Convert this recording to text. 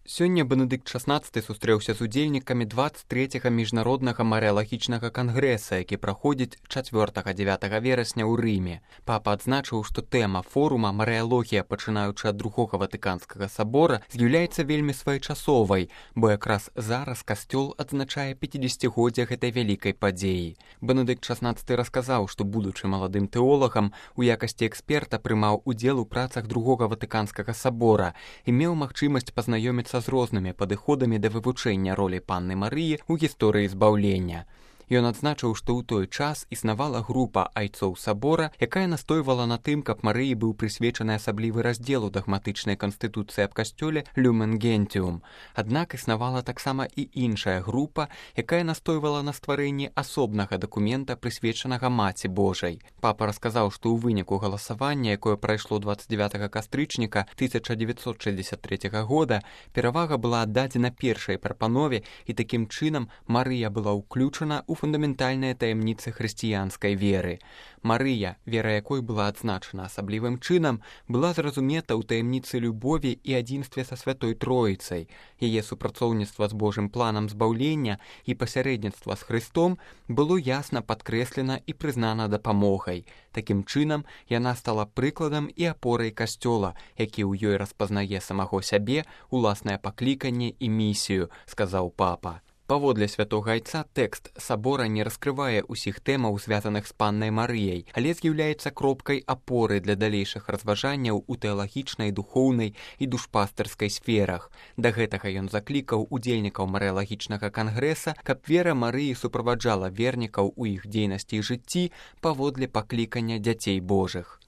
Сёння Бенедыкт XVI сустрэўся з удзельнікамі 23-га міжнароднага марыялагічнага кангрэса, які праходзіць 4-9 верасня ў Рыме. Папа адзначыў, што тэма форума «Марыялогія, пачынаючы ад Другога Ватыканскага сабора» з'яўляецца вельмі своечасовай, бо якраз зараз касцёл адзначае 50-годдзе гэтай вялікай падзеі. Бенедыкт XVI расказаў, што, будучы маладым тэолагам, у якасці эксперта прымаў удзел у працах Другога Ватыканскага сабора і меў магчымасць пазнаёміцца з рознымі падыходамі да вывучэння ролі Панны Марыі ў гісторыі збаўлення. Ён адзначыў, што ў той час існавала група айцоў сабора, якая настойвала на тым, каб Марыі быў прысвечаны асаблівы раздзел у дагматычнай канстытуцыі аб касцёле «Люмен Гентиум». Аднак існавала таксама і іншая група, якая настойвала на стварэнні асобнага дакумента, прысвечанага Маці Божай. Папа расказаў, што ў выніку галасавання, якое прайшло 29 кастрычніка 1963 года, перавага была аддадзена першай прапанове, і такім чынам Марыя была ўключана ў фундаментальныя таямніцы хрысціянскай веры. Марыя, вера якой была адзначана асаблівым чынам, была зразумета ў таямніцы любові і адзінстве са Святой Троіцай. Яе супрацоўніцтва з Божым планам збаўлення і пасярэдніцтва з Хрыстом было ясна падкрэслена і прызнана дапамогай. Такім чынам, яна стала прыкладам і апорай касцёла, які ў ёй распазнае самаго сябе, уласнае пакліканне і місію, сказаў папа. Паводле святога айца тэкст сабора не раскрывае ўсіх тэмаў, звязаных з Паннай Марыяй, але з'яўляецца кропкай апоры для далейшых разважанняў у тэалагічнай, духоўнай і душпастырскай сферах. Да гэтага ён заклікаў удзельнікаў марыялагічнага кангрэса, каб вера Марыі суправаджала вернікаў у іх дзейнасці і жыцці паводле паклікання дзяцей Божых.